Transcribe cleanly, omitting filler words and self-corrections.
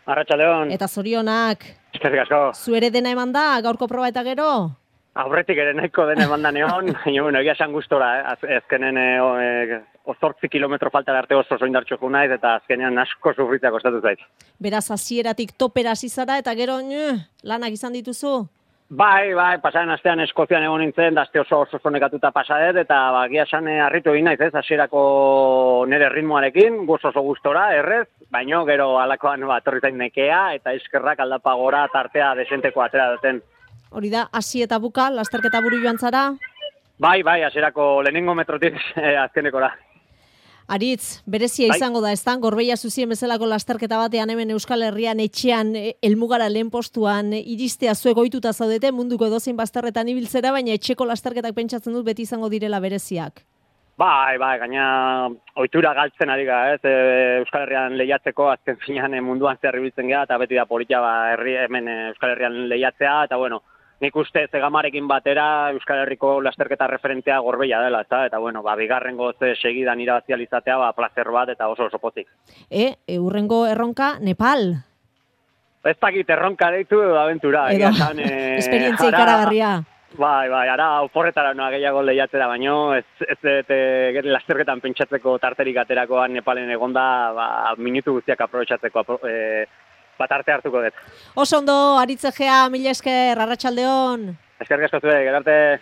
Arratsaldeon. Eta zorionak. Eskerrik asko. Zuere dena eman da, gaurko proba eta gero? Aurretik ere nahiko dena eman da neon, baina bueno, egia esan gustora, azkenen 8 kilometro falta arte oso indartsu jo naiz eta azkenean asko sufritzea kostatu zait. Beraz, hasieratik topera hasi zara eta gero lanak izan dituzu? Bai, pasaren astean Eskozian egon nintzen, da aste oso nekatuta pasadet, eta egia esan harritu egin naiz, hasierako nire ritmoarekin, oso gustora, errez, baino gero alakoan etorri zain nekea, eta eskerrak aldapa gora tartea desenteko atera duten. Hori da, hasi eta buka, lasterketa buru joan zara? Bai, hasierako lehenengo metrotik azkenekora. Aritz, berezia izango da, ezta? Gorbeia zuzien bezalako lasterketa batean hemen Euskal Herrian etxean helmugara lehen postuan iristea zuek ohituta zaudete munduko edozein bazterretan ibiltzera, baina etxeko lasterketak pentsatzen dut beti izango direla bereziak. Bai, gaina ohitura galtzen ari gara, Euskal Herrian lehiatzeko, azken finean munduan zehar ibiltzen gara, eta beti da politia hemen Euskal Herrian lehiatzea, eta bueno, nik uste Zegamarekin batera Euskal Herriko lasterketa referentea Gorbeia dela, eta bueno, bigarrengo segidan irabazializatea, placer bat eta oso pozik. Hurrengo erronka, Nepal. Ez dakit erronka deitu edo abentura. Esperientzia ikaragarria. Bai, ara oporretara noa gehiago lehiatzera, baino ez lasterketan pentsatzeko tarterik aterakoan Nepalen egonda, minutu guztiak aprobetxatzeko arte hartuko dut. Oso ondo, Aritz Egea, mila esker, arratsaldeon. Eskerrik asko zuek, arte.